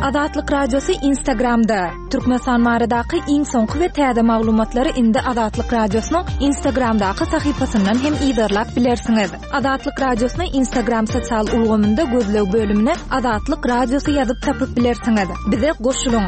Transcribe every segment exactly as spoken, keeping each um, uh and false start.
Azatlyk Radiosy Instagramda. Türkmenistan baradaky iň soňky we täze maglumatlary indi Azatlyk Radiosynyň Instagramdaky sahypasyndan hem yzarlap bilersiňiz. Azatlyk Radiosyny Instagram sosial ulgamynda gözleg bölümine Azatlyk Radiosy ýazyp tapyp bilersiňiz. Bize goşulyň.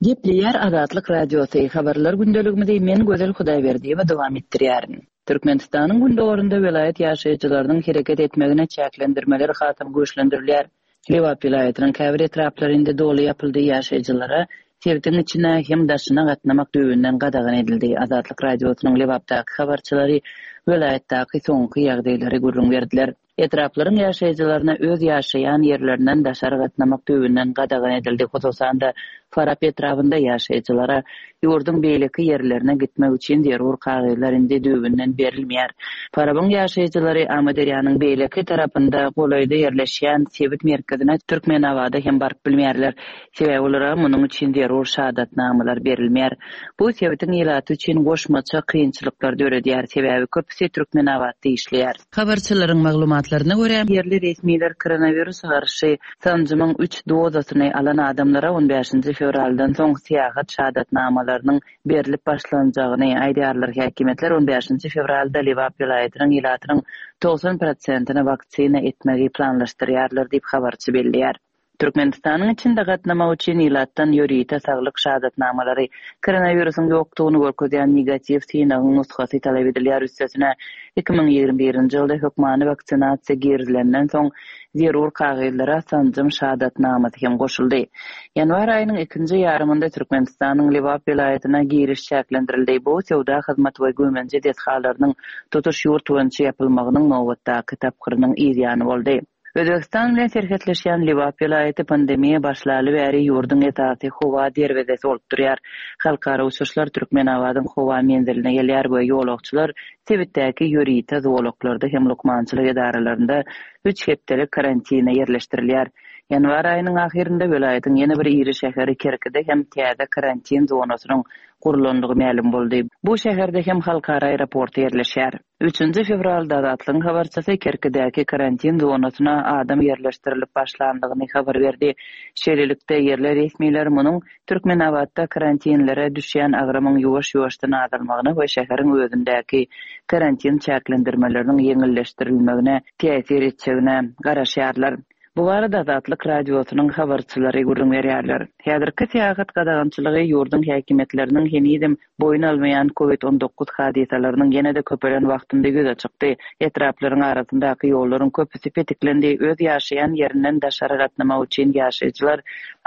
Gepleýär Azatlyk Radiosy habarlar gündeligimizi men Gözel Hudaýberdiýewa dowam etdirýärin. Türkmenistanyň gündogarynda welaýat ýaşaýjylarynyň hereket etmegine çäklendirmeler hasam güýçlendirilýär. Lebap welaýatynyň käbir etraplarynda doly ýapyldy ýaşaýjylara sebitiň içine hem daşyna gatnamak düýbünden gadagan edildi. Azatlyk Radiosynyň Lebapdaky habarçylary welaýatdaky soňky ýagdaýlary gürrüň berdiler. Etraplaryň ýaşaýjylaryna öz ýaşaýan ýerlerinden daşary gatnamak düýbünden gadagan edildi. Hususan-da Farap etrabynda ýaşaýjylara ýurduň beýleki ýerlerine gitmek üçin zerur kagyzlar indi düýbünden berilmeýär. Farabyň ýaşaýjylary Amyderýanyň beýleki tarapynda golaýda ýerleşýän sebit merkezine Türkmenabada hem baryp bilmeýärler. Sebäbi olara munuň üçin zerur şahadatnamalar berilmeýär. Bu sebitiň ilaty üçin goşmaça kynçylyklar döredýär. Sebäbi köpüsi Türkmenabatda işleýär. Habarçylaryň maglumatlaryna görä, ýerli resmiler koronawirusa garşy sanjymyň üç dozasyny alan adamlara on bäşinji fewraldan soň syýahat şahadatnamalarynyň berlip başlanjagyny aýdýarlar. Häkimiýetler on bäşinji fewralda Lebap welaýatynyň ilatynyň togsan prosentini waksina etmegi planlaşdyrýarlar diýip habarçy belleýär. Türkmenistanyň içinde gatnamak üçin ilatdan ýörite saglyk şahadatnamalary, koronawirusyň ýokdugyny görkezýän negatiw synagyň nusgasy talap edilýär. Üstesine iki müň ýigrimi birinji ýylda hökmany waksinasiýa girizilenden soň zerur kagyzlara sanjym şahadatnamasy hem goşuldy. Ýanwar aýynyň ikinji ýarymynda Türkmenistanyň Lebap welaýatyna giriş çäklendirildi. Bu söwda hyzmat we güýmenje desgalarynyň tutuş ýurt boýunça ýapylmagynyň nobatdaky tapgyrynyň yzýany boldy. Özbegistan bilen serhetleşýän Lebap welaýaty pandemiýa başlaly bäri ýurduň esasy howa derwezesi bolup durýar. Halkara uçuşlar Türkmenabadyň howa menziline gelýär we ýolagçylar sebitdäki ýörite zolaklarda hem lukmançylyk edaralarynda üç hepdelik karantina ýerleşdirilýär. Ýanwar aýynyň ahyrynda welaýatyň ýene bir iri şäheri Kerkide hem täze karantin zonasynyň gurulandygy mälim boldy. Bu şäherde hem halkara aeroporty ýerleşýär. Üçünji fewralda Azatlygyň habarçysy Kerkidäki karantin zonasyna adam ýerleşdirilip başlandygyny habar berdi. Şeýlelikde ýerli resmiler munuň Türkmenabatda karantinlere düşýän agramyň ýuwaş-ýuwaşdan azalmagyna we şäheriň özündäki karantin çäklendirmeleriniň ýeňilleşdirilmegine täsir etjegine garaşýarlar. Bu barada Azatlyk Radiosynyň habarçylary gürrüň berýärler. Häzirki syýahat gadagançylygy ýurduň häkimiýetleriniň henizem boýun almaýan COVID on dokuz hadysalarynyň ýene-de köpelen wagtynda ýüze çykdy. Etraplaryň arasyndaky ýollaryň köpüsi petiklendi. Öz ýaşaýan ýerinden daşary gatnamak üçin ýaşaýjylar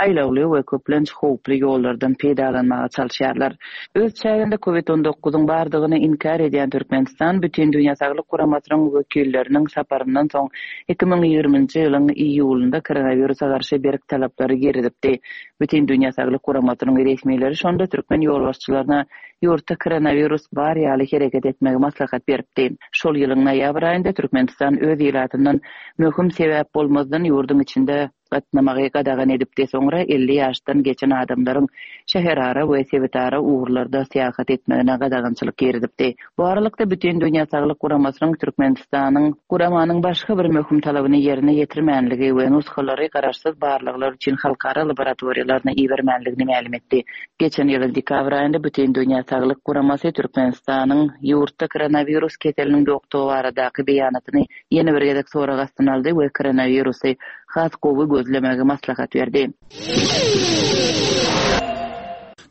aýlawly we köplenç howply ýollardan peýdalanmaga çalyşýarlar. Öz çäginde COVID on dokuzyň bardygyny inkär edýän Türkmenistan Bütün Dünýä Saglyk Guramasynyň wekilleriniň saparyndan soň iki müň ýigriminji ýylyň iýulynda koronawirusa garşy berk talaplary girizipdi. Bütün Dünýä Saglyk Guramasynyň resmileri şonda türkmen ýolbaşçylaryna ýurtda koronawirus bar ýaly hereket etmegi maslahat beripdi. Şol ýylyň noýabr aýynda Türkmenistan öz ilatyndan möhüm sebäp bolmazdan ýurduň içinde gatnamagy gadagan edipdi. Soňra elli ýaşdan geçen adamlaryň şäherara we sebitara ugurlarda syýahat etmegine gadagançylyk girizipdi. Bu aralykda Bütün Dünýä Saglyk Guramasynyň Türkmenistanyň guramanyň başga bir möhüm talabyny ýerine ýetirmänligi we nusgalary garaşsyz barlaglar üçin halkara laboratoriýalaryna ibermänligini mälim etdi. Geçen ýylyň dekabr aýynda Bütün Dünýä Saglyk Guramasy Türkmenistanyň ýurtda koronawirus keseliniň ýokdugy baradaky beýanatyny ýene bir gezek sorag astyna aldy we koronawirusy has gowy gözlemegi maslahat berdi.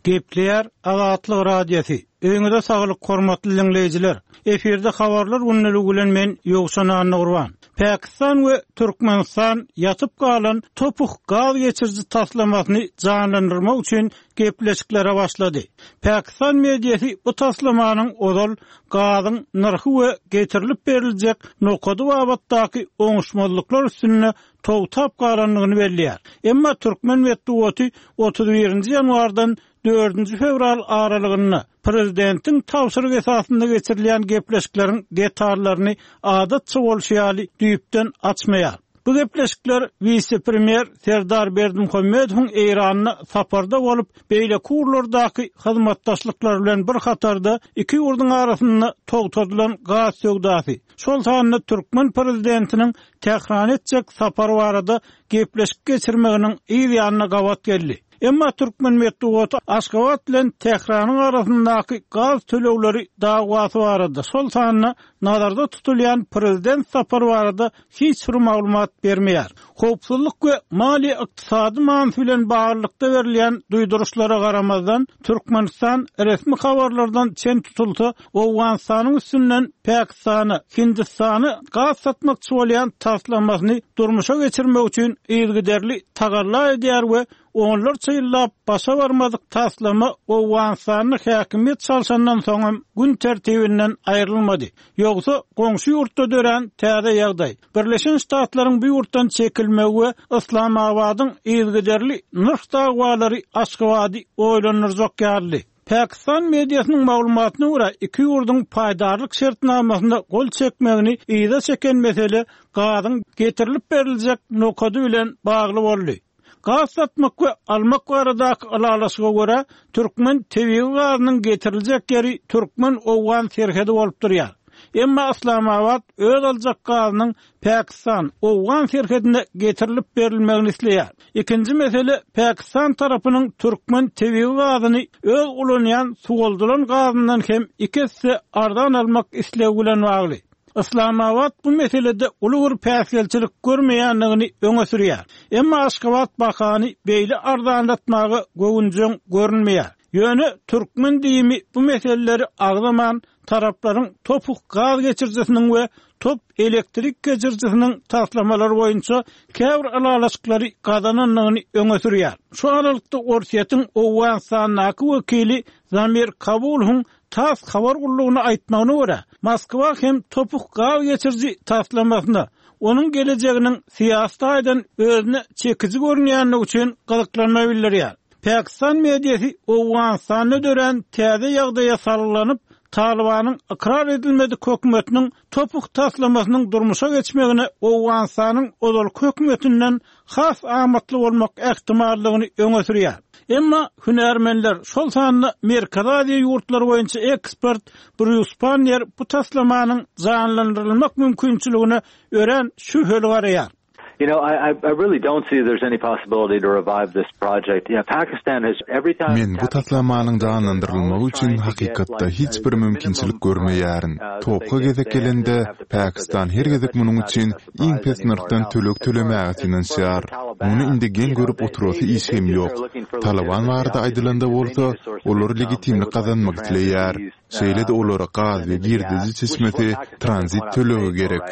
Gepleýär Azatlyk Radiosy. Öýüňize saglyk hormatly dinleýjiler. Efirde habarlar günlügi bilen men Ýowşan Annagurban. Pakistan we Türkmenistan ýatyp galan topuh gaz geçiriji taslamasyny janlandyrmak üçin gepleşiklere başlady. Pakistan mediasy bu taslamanyň ozal gazyň nyrhy we getirilip beriljek nokady babatdaky oňuşmazlyklar üstünde togtap galandygyny belleýär. Emma Türkmen metbugaty otuz birinji ýanwardan dördünji fewral aralygynda prezidentiň tabşyryk esasynda geçirilýän gepleşikleriň detallaryny adatça bolşy ýaly düýpden açmaýar. Bu gepleşikler wise-premýer Serdar Berdimuhamedowyň Eýranda saparda bolup, beýleki ugurlardaky hyzmatdaşlyklar bilen bir hatarda iki ýurduň arasynda togtadylan gaz söwdasy, şol sanda türkmen prezidentiniň Tährana etjek sapary barada gepleşik geçirmeginiň yz ýanyna gabat geldi. Emma türkmen metbugaty Aşgabat bilen Tähranyň arasyndaky gaz tölegleri dawasy barada, şol sanda nazarda tutulýan prezident sapary barada hiç bir maglumat bermeýär. Howpsuzlyk we maliýe-ykdysady manysy bilen baglylykda berilýän duýduryşlara garamazdan, Türkmenistan resmi habarlardan çen tutulsa, Owganystanyň üstünden Pakistana, Hindistana gaz satmakçy bolýan taslamasyny durmuşa geçirmek üçin yzygiderli tagalla edýär we onlarça ýyllap başa barmadyk taslama Owganystanda häkimiýet çalşandan soňam gün tertibinden aýrylmady. Ýogsa goňşy ýurtda dörän täze ýagdaý, Birleşen Ştatlaryň bu ýurtdan çekilmegi we Yslamabadyň yzygiderli nyrh dawalary Aşgabady oýlandyrjak ýalydy. Pakistan mediasynyň maglumatyna görä, iki ýurduň paýdarlyk şertnamasyna gol çekmegini yza çeken mesele gazyň getirilip beriljek nokady bilen bagly boldy. Gaz satmak we almak baradaky ylalaşyga görä, türkmen tebigy gazynyň getiriljek ýeri türkmen-owgan serhedi bolup durýar. Emma Yslamabat öz aljak gazynyň Pakistan, Owgan serhedine getirilip berilmegini isleýär. Ikinji mesele Pakistan tarapynyň türkmen tebigy gazyny öz ulanýan suwaldylan gazyndan hem iki esse arzan almak islegi bilen bagly. Yslamabat bu meselede uly bir päsgelçilik görmeýändigini öňe sürýär. Emma Aşgabat bahany beýle arzanlatmaga göwünjeň görünmeýär. Ýöne türkmen diýimi bu meseleleri agzaman taraplaryň topuk gaz geçirijisiniň we top elektrik geçirijisiniň taslamalary boýunça käbir ylalaşyklary gazanandygyny öňe sürýär. Şu aralykda Orsýetiň Owganystandaky wekili Zamir Kabulowyň TASS habar gullugyna aýtmagyna görä, Moskwa hem topuk gaz geçiriji taslamasyna onuň gelejeginiň syýasy taýdan özüne çekiji görünýändigi üçin gyzyklanma bildirýär. Pakistan mediasy Owganystanda dörän täze ýagdaýa salgylanyp, Talibanyň ykrar edilmedik hökümetiniň topuk taslamasynyň durmuşa geçmegine Owganystanyň ozalky hökümetinden has amatly bolmak ähtimallygyny öňe sürýär. Emma hünärmenler, şol sanda Merkezi Aziýa ýurtlary boýunça ekspert Brýus Pannier bu taslamanyň janlandyrylmak mümkinçiligine örän şübheli garaýar. You know, I, I really don't see there's any possibility to revive this project. You know, Pakistan has every time Men bu taslamanyň janlandyrylmagy üçin hakykatda hiç bir mümkinçilik görmeýärin. Topga gezek gelende, Pakistan her gezek munuň üçin iň pes nyrhdan töleg tölemäge synanyşýar. Muny indi geň görüp oturasy iş hem ýok. Taliban barada aýdylanda bolsa, olar legitimlik gazanmak isleýär. Şeýle-de olara gaz we girdeji çeşmesi tranzit tölegi gerek.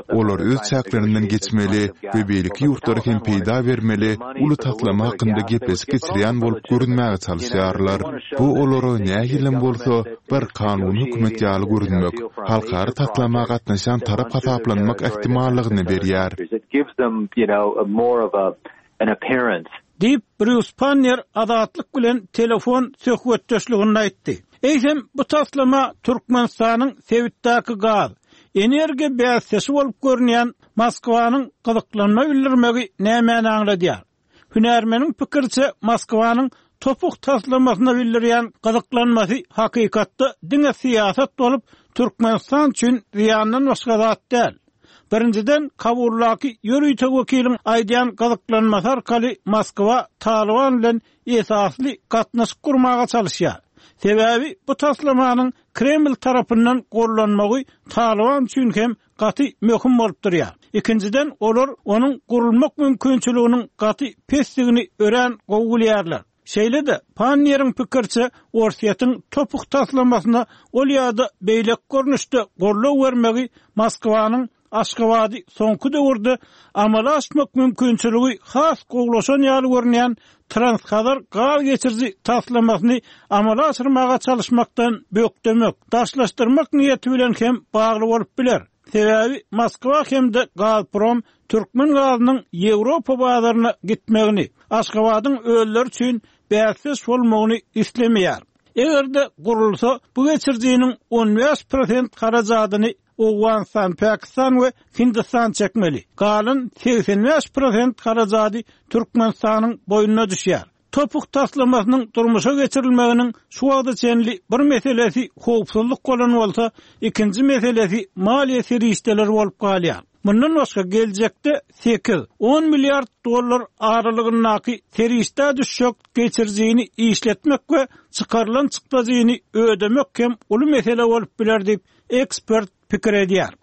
Olar öz çäklerinden geçmeli we beýleki ýurtlara hem peýda bermeli uly taslama hakynda gepleşik geçirýän bolup görünmäge çalyşýarlar. Bu olara nähilem bolsa bir kanuny hökümet ýaly görünmek, halkara taslama gatnaşýan tarap hasaplanmak ähtimallygyny berýär. Diýip, Brýus Pannier Azatlyk bilen telefon söhbetdeşliginde aýtdy. Eýsem, bu taslama Türkmenistanyň sebitdäki gaz, energiýa bäsdeşi bolup görünýän Moskwanyň gyzyklanma bildirmegi nämäni aňladýar? Hünärmeniň pikiriçe, Moskwanyň topuk taslamasyna bildirýän gyzyklanmasy hakykatda diňe syýasat bolup, Türkmenistan üçin zyýandan başga zat däl. Birinjiden, Kabuldaky ýörite wekiliň aýdýan gyzyklanmasy arkaly Moskwa Taliban bilen esasly gatnaşyk gurmaga çalyşýar. Sebäbi bu taslamanyň Kreml tarapyndan gollanmagy Taliban üçin hem gaty möhüm bolup durýar. Ikinjiden, olar onuň gurulmak mümkinçiliginiň gaty pesdigini örän gowy bilýärler. Şeýle-de, Pannieriň pikiriçe, Orsýetiň topuk taslamasyna ol ýa-da beýleki görnüşde goldaw bermegi Moskwanyň Aşgabady soňky döwürde amala aşmak mümkinçiligi has gowulaşan ýaly görünýän Transhazar gaz geçiriji taslamasyny amala aşyrmaga çalyşmakdan bökdemek, daşlaşdyrmak niýeti bilen hem bagly bolup biler. Sebäbi Moskwa hem-de Gazprom türkmen gazynyň Ýewropa bazaryna gitmegini, Aşgabadyň özleri üçin bäsdeş bolmagyny islemeýär. Eger-de gurulsa, bu geçirijiniň on bäş prosent harajadyny Owganystan, Pakistan we Hindistan çekmeli. Galan seksen bäş prosent harajady Türkmenistanyň boýnuna düşýär. Topuk taslamasynyň durmuşa geçirilmeginiň şu wagta çenli bir meselesi howpsuzlyk bolan bolsa, ikinji meselesi maliýe serişdeleri bolup galýar. Mundan başga geljekde sekiz on milliard dollar aralygyndaky serişde düşjek geçirijini işletmek we çykarylan çykdajyny ödemek hem uly mesele bolup biler diýip ekspert pikir edýär.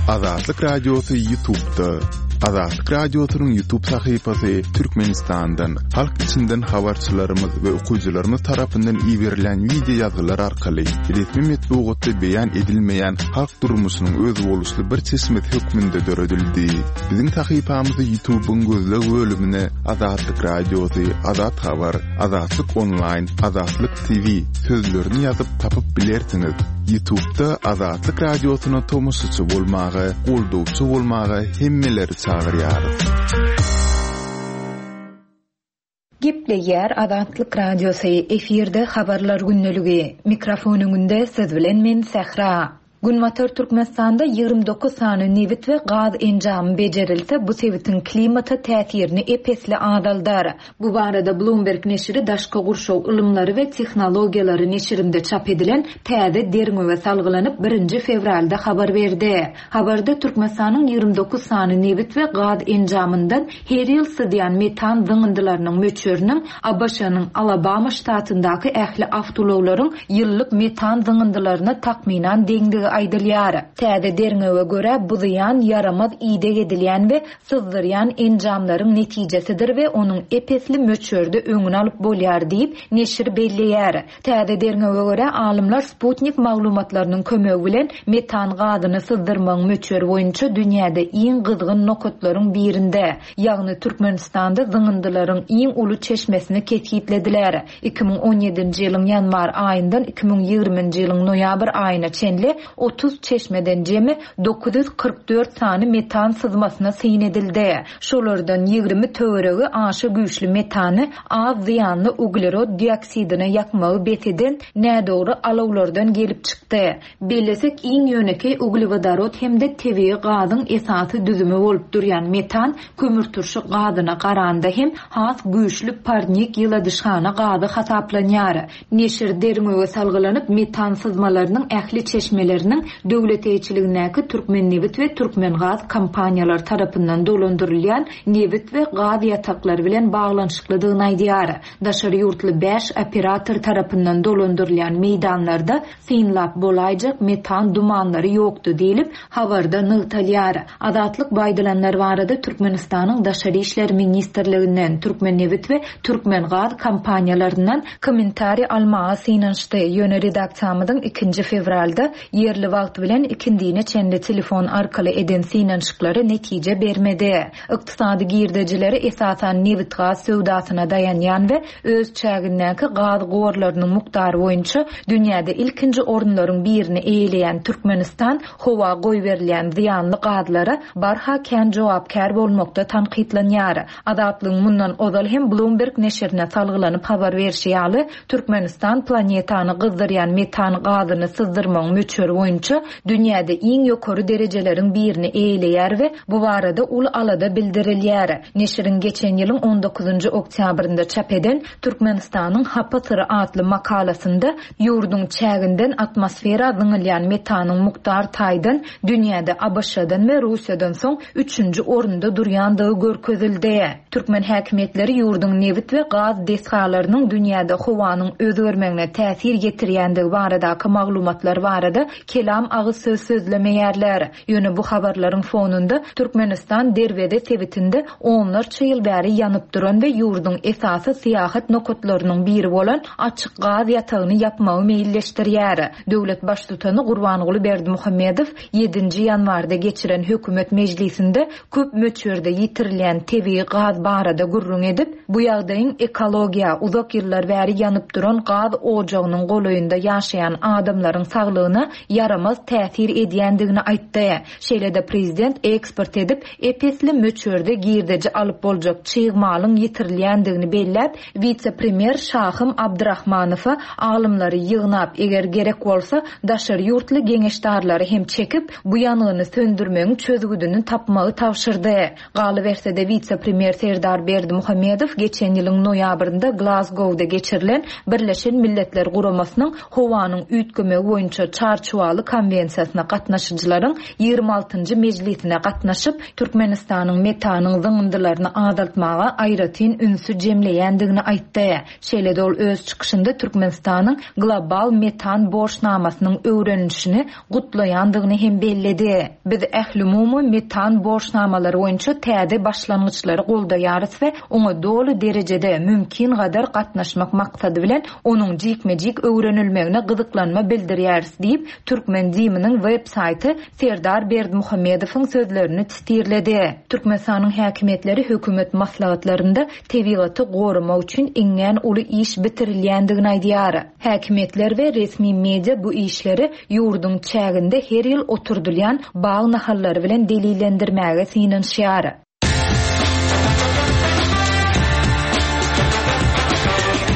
Azatlyk Radiosy YouTube'da. Azatlyk Radiosynyň YouTube sahypasy Türkmenistandan, halk içinden habarçylarymyz we okyjylarymyz tarapyndan iberilen video ýazgylar arkaly resmi metbugatda beýan edilmeýän halk durmuşynyň özboluşly bir çeşmesi hökmünde döredildi. Biziň sahypamyzy YouTube'yň gözleg bölümine Azatlyk Radiosy, Azat Habar, Azatlyk Online, Azatlyk T V sözlerini ýazyp tapyp bilersiňiz. YouTube'da Azatlyk Radiosyna tomaşaçy bolmaga, goldawçy bolmaga hemmeleri çagyrýarys. Gepleýär Azatlyk Radiosy, efirde habarlar gündeligi. Mikrofon öňünde söz bilen men Sähra. Günbatar Türkmenistanda ýigrimi dokuz sany nebit we gaz enjamy bejerilse, bu sebitiň klimata täsirini epesli azaldar. Bu barada Bloomberg neşiri daşky gurşaw ylymlary we tehnologiýalary neşirinde çap edilen täze derňewe salgylanyp birinji fewralda habar berdi. Habarda Türkmenistanyň ýigrimi dokuz sany nebit we gaz enjamyndan her ýyl sydýan metan zyňyndylarynyň möçberiniň A B Ş-nyň Alabama ştatyndaky ähli awtoulaglaryň ýyllyk metan zyňyndylaryna takmynan deňdigi aýdylýar. Täze derňewe görä bu zyýan ýaramaz ideg edilýän we syzdyrýan enjamlaryň netijesidir we onuň epesli möçberde öňüni alyp bolýar diýip neşir belleýär. Täze derňewe görä alymlar Sputnik maglumatlarynyň kömegi bilen metan gazyny syzdyrmagyň möçberi boýunça dünýäde iň gyzgyn nokatlaryň birinde, ýagny Türkmenistanda zyňyndylaryň iň uly çeşmesini kesgitlediler. iki müň on ýedinji ýylyň ýanwar aýyndan iki müň ýigriminji ýylyň noýabr aýyna çenli otuz çeşmeden jemi dokuz ýüz kyrk dört sany metan syzmasyna syn edildi. Şolardan ýigrimi töweregi aşa güýçli metany az zyýanly uglerod dioksidine ýakmagy bes eden nädogry alawlardan gelip çykdy. Bellesek iň ýönekeý uglewodorod hem-de tebigy gazyň esasy düzümi bolup durýan metan kömürturşy gazyna garanda hem has güýçli parnik ýyladyşhana gazy hasaplanýar. Neşir derňewe salgylanyp metan syzmalarynyň ähli çeşmeleriniň döwlet eýeçiligindäki Türkmen nebit we Türkmen gaz kompaniýalary tarapyndan dolandyrylýan nebit we gaz ýataklary bilen baglanyşyklydygyny aýdýar. Daşary ýurtly bäş operator tarapyndan dolandyrylýan meýdanlarda synlap bolaýjak metan dumanlary ýokdy diýlip habarda nygtalýar. Azatlyk baýdylanlar barada Türkmenistanyň Daşary İşler Ministrliginden, Türkmen nebit we Türkmen gaz kompaniýalaryndan kommentariý almaga synanyşdy. Ýöne redaksiýamyzyň ikinji fewralda ýerli wagt bilen ikindine çenli telefon arkaly eden synanyşyklary netije bermedi. Ykdysady girdejileri esasan nebit gaz söwdasyna daýanýan we öz çägindäki gaz gorlarynyň mukdary boýunça dünýäde ilkinji orunlaryň birini eýeleýän Türkmenistan howa goýberilýän zyýanly gazlara barha kän jogapkär bolmakda tankytlanýar. Azatlygyň mundan ozal hem Bloomberg neşirine salgylanyp habar berşi ýaly, Türkmenistan planetany gyzdyrýan metan gazyny syzdyrmagyň möçberi boýunça dünýäde iň ýokary derejeleriň birini eýeleýär we bu barada uly alada bildirilýär. Neşiriň geçen ýylyň on dokuzynjy oktýabrynda çap eden Türkmenistanyň Hapa syry atly makalasynda ýurduň çäginden atmosfera zyňylýan metanyň mukdar taýdan dünýäde A B Ş-dan we Russiýadan soň üçünji orunda durýandygy görkezildi. Türkmen häkimiýetleri ýurduň nebit we gaz desgalarynyň dünýäde howanyň özgermegine täsir ýetirýändigi baradaky maglumatlar barada kelam agyz söz sözlemeýärler. Ýöne bu habarlaryň fonunda Türkmenistan Derweze sebitinde onlarça ýyl bäri ýanyp duran we ýurduň esasy syýahat nokatlarynyň biri bolan açyk gaz ýatagyny ýapmagy meýilleşdirýär. Döwlet baştutany Gurbanguly Berdimuhamedow ýedinji ýanwarda geçiren hökümet mejlisinde köp möçberde ýitirilýän tebigy gaz barada gürrüň edip, bu ýagdaýyň ekologiýa uzak ýyllar bäri ýanyp duran gaz ojagynyň golaýynda ýaşaýan adamlaryň saglygyna ýaramaz täsir edýändigini aýtdy. Şeýle-de prezident eksport edip, ep-esli möçberde girdeji alyp boljak çig malyň ýitirilýändigini belläp, wise-premýer Şahym Abdurahmanowa alymlary ýygnap, eger gerek bolsa, daşary ýurtly geňeşdarlary hem çekip, bu ýangyny söndürmegiň çözgüdini tapmagy tabşyrdy. Galyberse-de wise-premýer Serdar Berdimuhamedow geçen ýylyň noýabrynda Glazgowda geçirilen Birleşen Milletler Guramasynyň howanyň üýtgemegi boýunça çarçuwaly konwensiýasyna gatnaşyjylaryň ýigrimi altynjy mejlisine gatnaşyp, Türkmenistanyň metanyň zyňyndylaryny azaltmaga aýratyn ünsi jemleýändigini aýtdy. Şeýle-de ol öz çykyşynda Türkmenistanyň global metan borçnamasynyň öwrenilişini gutlaýandygyny hem belledi. Biz ählumumy metan borçnamalary boýunça täze başlangyçlary goldaýarys we oňa doly derejede mümkin gadar gatnaşmak maksady bilen onuň jikme-jik öwrenilmegine gyzyklanma bildirýäris diýip, Türkmen DIM-niň web saýty Serdar Berdimuhamedowyň sözlerini titirledi. Türkmenistanyň häkimiýetleri hökümet maslahatlarynda tebigaty goramak üçin iňňän uly iş bitirilýändigini aýdýar. Häkimiýetler we resmi media bu işleri ýurduň çäginde her ýyl oturdylýan bag nahallary bilen delillendirmäge synanyşýar.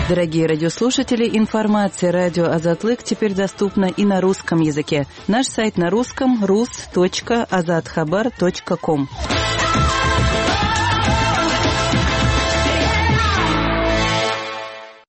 Дорогие радиослушатели, информация радио Азатлык теперь доступна и на русском языке. Наш сайт на русском rus точка azathabar точка ком.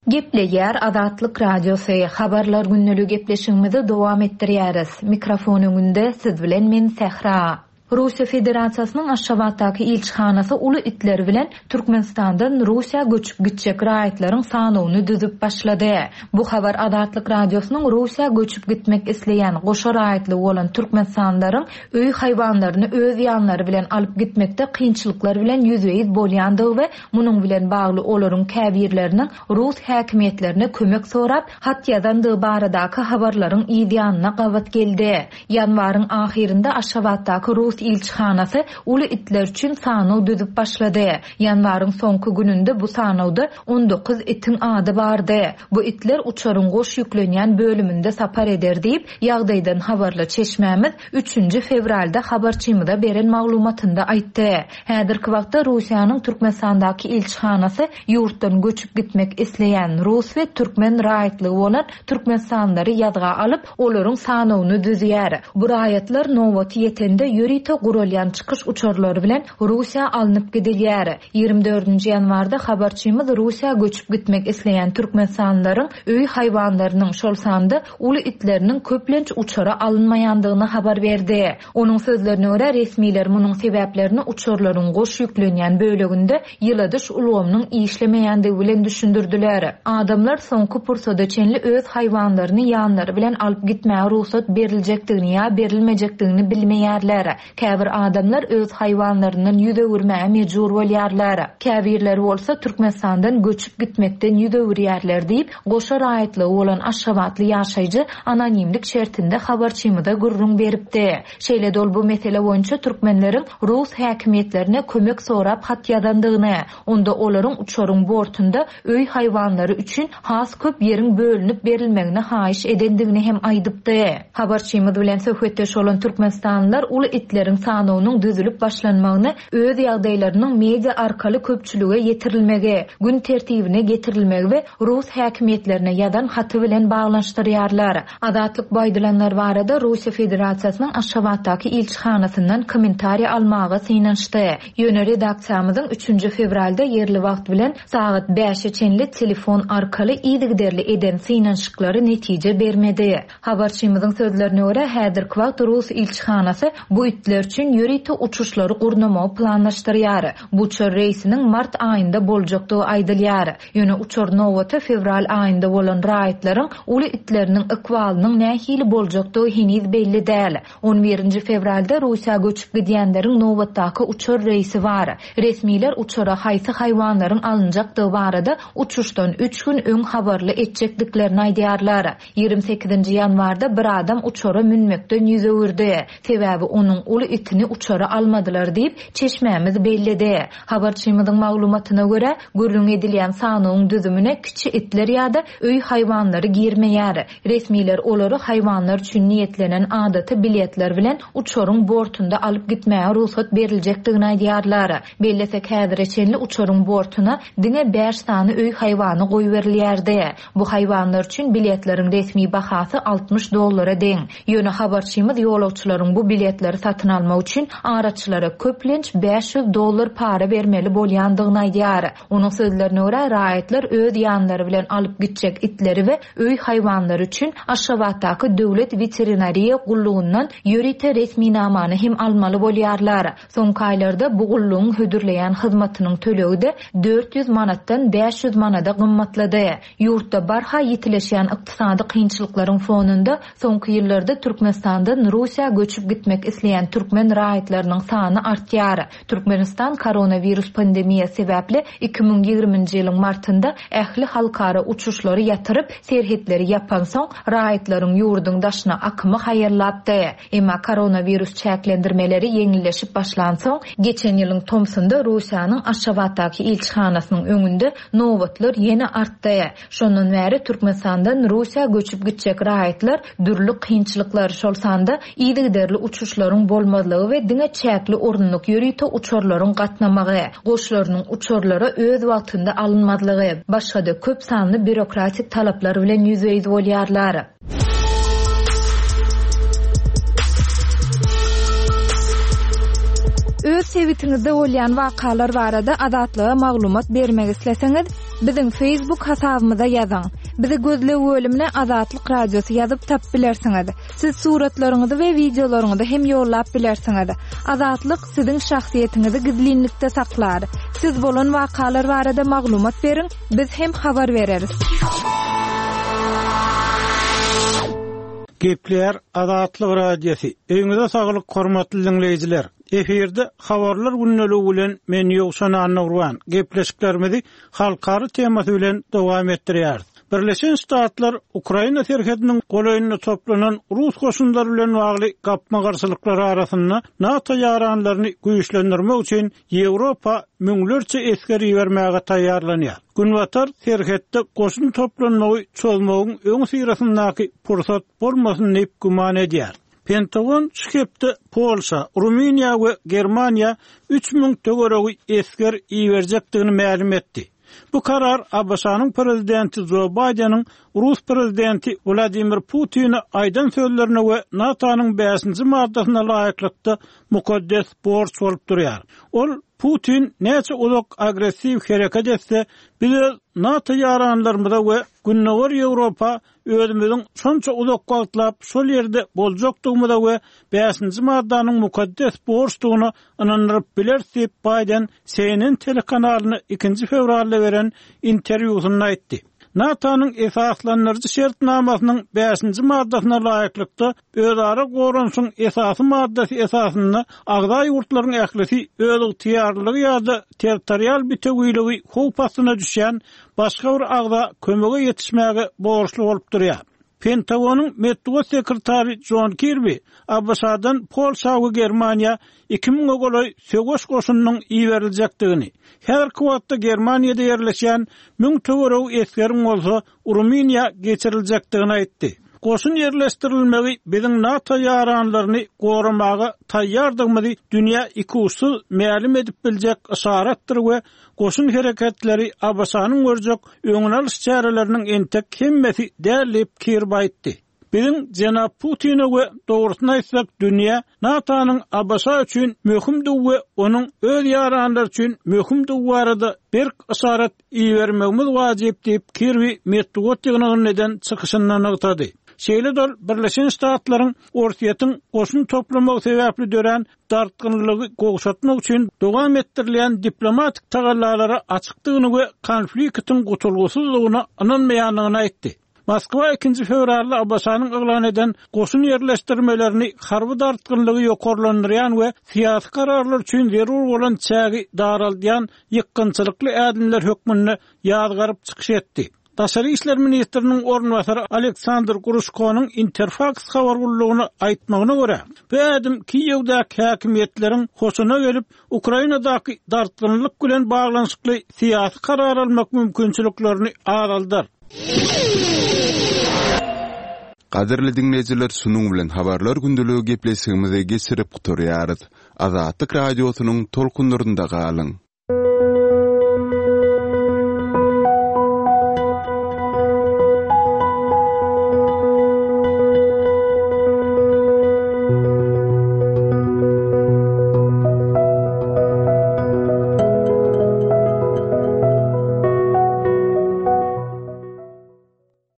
Gepleýär Azatlyk Radiosy. Habarlar günlügi gepleşigimizi dowam etdirýäris. Mikrofon öňünde siz bilen men Sähra. Russiýa Federasiýasynyň Aşgabatdaky ilçihanasy uly itler bilen Türkmenistandan Russiýa göçüp gitjek raýatlaryň sanyny düzüp başlady. Bu habar Azatlyk Radiosynyň Russiýa göçüp gitmek isleýän goşa raýatly bolan Türkmenistanlaryň öý haýwanlaryny öz ýanlary bilen alyp gitmekde kynçylyklar bilen ýüzbe-ýüz bolýandygy we munuň bilen bagly olaryň käbirleriniň Rus häkimiýetlerine kömek sorap hat ýazandygy baradaky habarlaryň ýanyna gabat geldi. Ýanwaryň ahyrynda Aşgabatdaky Rus ilçihanasy uly itler üçin sanaw düzüp başlady. Ýanwaryň soňky gününde bu sanawda on dokuz itiň ady bardy. Bu itler uçaryň goş ýüklenýän bölüminde sapar eder diýip, ýagdaýdan habarly çeşmämiz üçünji fewralda habarçymyza beren maglumatynda aýtdy. Häzirki wagtda Russiýanyň Türkmenistandaky ilçihanasy ýurtdan göçüp gitmek isleýän rus we türkmen raýatlygy bolan türkmenistanlylary ýazga alyp, olaryň sanawyny düzýär. Bu raýatlar nobaty ýetende ýörite guralýan çykyş uçarlary bilen Russiýa alnyp gidilýär. Ýigrimi dördünji ýanwarda habarçymyz Russiýa göçüp gitmek isleýän türkmenistanlylaryň öý haýwanlarynyň şol sanda uly itleriniň köplenç uçara alynmaýandygyny habar berdi. Onuň sözlerine görä resmiler munuň sebäplerini uçarlaryň goş ýüklenýän böleginde ýyladyş ulgamynyň işlemeýändigi bilen düşündirdiler. Adamlar soňky pursada çenli öz haýwanlaryny ýanlary bilen alyp gitmäge rugsat beriljekdigini ýa berilmejekdigini bilmeýärler. Käbir adamlar öz haýwanlaryndan ýüz öwürmäge mejbur bolýarlar. Käbirleri bolsa Türkmenistandan göçüp gitmekden ýüz öwürýärler diýip, goşa raýatlygy bolan Aşgabatly ýaşaýjy anonimlik şertinde habarçymyza gürrüň beripdi. Şeýle-de ol bu mesele boýunça türkmenleriň rus häkimiýetlerine kömek sorap hat ýazandygyny, onda olaryň uçaryň bortunda öý haýwanlary üçin has köp ýeriň bölünip berilmegini haýyş edendigini hem aýdypdy. Habarçymyz bilen söhbetdeş bolan türkmenistanlylar uly itleriň sanynyň düzülip başlanmagyny öz ýagdaýlarynyň media arkaly köpçülige ýetirilmegi, gün tertibine getirilmegi we rus häkimiýetlerine ýazan haty bilen baglanyşdyrýarlar. Azatlyk bu aýdylanlar barada Russiýa Federasiýasynyň Aşgabatdaky ilçihanasyndan kommentariýa almaga synanyşdy. Ýöne redaksiýamyzyň üçünji fewralda ýerli wagt bilen sagat bäşe çenli telefon arkaly yzygiderli eden synanyşyklary netije bermedi. Habarçymyzyň sözlerine görä häzirki wagt Rus ilçihanasy bu itler üçin ýörite uçuşlary gurnamagy planlaşdyrýar. Bu uçar reýsiniň mart aýynda boljakdygy aýdylýar. Ýöne uçar nobaty fewral aýynda bolan raýatlaryň uly itleriniň ykbalynyň nähili boljakdygy heniz belli däl. On birinji fewralda Russiýa göçüp gidýänleriň nobatdaky uçar reýsi bar. Resmiler uçara haýsy haýwanlaryň alynjakdygy barada uçuşdan üç gün öň habarly etjekdiklerini aýdýarlar. Ýigrimi sekizinji ýanwarda bir adam uçara münmekden ýüz öwürdi. Sebäbi onuň uly uly itini uçara almadylar diýip, çeşmämiz belledi. Habarçymyzyň maglumatyna görä, gürrüň edilýän sanawyň düzümine kiçi itler ýa-da öý haýwanlary girmeýär. Resmiler olary haýwanlar üçin niýetlenen adaty biletler bilen uçaryň bortunda alyp gitmäge rugsat beriljekdigini aýdýarlar. Bellesek häzire çenli uçaryň bortuna diňe bäş sany öý haýwany goýberilýärdi. Bu haýwanlar üçin biletleriň resmi bahasy altmyş dollara deň. Ýöne habarçymyz ýolagçylaryň bu biletleri satyn almak üçin araçylara köplenç bäş ýüz dollar para bermeli bolýandygyny aýdýar. Onuň sözlerine görä, raýatlar öz ýanlary bilen alyp gitjek itleri we öý haýwanlary üçin Aşgabatdaky döwlet veterinariýa gullugyndan ýörite resminamany hem almaly bolýarlar. Soňky aýlarda bu gullugyň hödürleýän hyzmatynyň tölegi de dört ýüz manatdan bäş ýüz manada gymmatlady. Ýurtda barha ýitileşýän ykdysady kynçylyklaryň fonunda soňky ýyllarda Türkmenistandan Russiýa göçüp gitmek isleýän türkmen raýatlarynyň sany artýar. Türkmenistan koronavirus pandemiýasy sebäpli iki müň ýigriminji ýylyň martynda ähli halkara uçuşlary ýatyryp, serhetleri ýapansoň raýatlaryň ýurduň daşyna akymy haýallapdy. Emma koronavirus çäklendirmeleri ýeňilleşip başlansoň, geçen ýylyň tomsunda Russiýanyň Aşgabatdaky ilçihanasynyň öňünde nobatlar ýene artdy. Şondan bäri Türkmenistandan Russiýa göçüp gitjek raýatlar dürli kynçylyklar, şol sanda yzygiderli uçuşlaryň bolmazlygy we diňe çäkli orunlyk ýörite uçarlaryň gatnamagy, goşlarynyň uçarlara öz wagtynda alynmazlygy, başga-da köp sanly bürokratik talaplar bilen ýüzbe-ýüz bolýarlar. Öz sebitiňizde bolýan wakalar barada Azatlyga maglumat bermek isleseňiz, biziň Facebook hasabymyza ýazyň. Bizi gözleg bölümine Azatlyk Radiosy ýazyp tap bilersiňiz. Siz suratlaryňyzy we wideolaryňyzy hem ýollap bilersiňiz. Azatlyk siziň şahsyýetiňizi gizlinlikde saklar. Siz bolan wakalar barada maglumat beriň, biz hem habar bereris. Gepler Azatlyk Radiosy. Öýüňize saglyk hormatly dinleýjiler. Efirde habarlar günlügi bilen men Ýowşan Annagurban gepleşiklerimizi halkara temasy bilen dowam etdirýäris. Birleşen Ştatlar Ukraina serhediniň golaýynda toplanan Rus goşunlary bilen bagly gapma-garşylyklar arasynda NATO ýaranlaryny güýçlendirmek üçin Ýewropa müňlerçe esger ibermäge taýýarlanýar. Günbatar serhetde goşun toplanmagy çözmegiň öň syrasyndaky pursat bolmasyn diýip güman edýär. Pentagon şu hepde Polşa, Rumyniýa we Germaniýa üç müň töweregi esger iberjekdigini mälim etdi. Bu karar A B Ş-nyň prezidenti Joe Biden'iň Rus prezidenti Vladimir Putin'e aýdan sözlerine we NATO-nyň bäşinji maddasyna laýyklykda mukaddes borç bolup durýar. Ol Putin näçe uzak agressiw hereket etse, biz NATO ýaranlarymyza we Gündogar Ýewropa özümiziň şonça uzak wagtlap şol ýerde boljakdygymyza we bäşinji maddanyň mukaddes borçdugyna ynandyryp bileris diýip Biden C N N telekanalyna ikinji fewralda beren interwýusynda aýtdy. NATO-nyň esaslandyryjy şertnamasynyň bäşinji maddasyna laýyklykda özara goranyşyň esasy maddasy esasynda agza ýurtlaryň ählisi öz ygtyýarlygy ýa-da territorial bitewiligi howp astyna düşýän başga bir agza kömege ýetişmäge borçly bolup durýar. Pentagonyň metbugat sekretary John Kirby A B Ş-dan Polşa we Germaniýa iki müňe golaý söweş goşunynyň iberiljekdigini, häzirki wagtda Germaniýada ýerleşýän müň töweregi esgeriň bolsa Rumyniýa geçiriljekdigini aýtdy. Goşun ýerleşdirilmegi biziň NATO ýaranlaryny goramaga taýýardygymyzy dünýä ikuçsuz mälim edip biljek yşaratdyr we goşun hereketleri A B Ş-nyň görjek öňüni alyş çäreleriniň entek hemmesi däl diýip Kirby aýtdy. Biziň Jenap Putine we dogrusyny aýtsak dünýä NATO-nyň A B Ş üçin möhümdigi we onuň öz ýaranlary üçin möhümdigi barada berk yşarat ibermegimiz wajyp diýip Kirby metbugat ýygnagynda eden çykyşynda nygtady. Şeýle-de Birleşen Ştatlaryň Orsýetiň goşun toplamagy sebäpli dörän dartgynlygy gowşatmak üçin dowam etdirilýän diplomatik tagallalara açykdygyny we konfliktiň gutulgysyzlygyna ynanmaýandygyny aýtdy. Moskwa ikinji fewralda A B Ş-nyň yglan eden goşun ýerleşdirmelerini harby dartgynlygy ýokarlandyrýan we syýasy kararlar üçin zerur bolan çägi daraldýan ýykgynçylykly ädimler hökmünde ýazgaryp çykyş etdi. Daşary işler ministriniň orunbasary Aleksandr Gruşkonyň Interfaks habar gullugyna aýtmagyna görä, bu ädim Kiýewdäki häkimiýetleriň hoşuna gelip, Ukrainadaky dartgynlyk bilen baglanyşykly syýasy karar almak mümkinçiliklerini azaldar. Gadyrly diňleýjiler, şunuň bilen habarlar gündeligi gepleşigimizi geçirip gutarýarys. Azatlyk Radiosynyň tolkunlarynda galyň.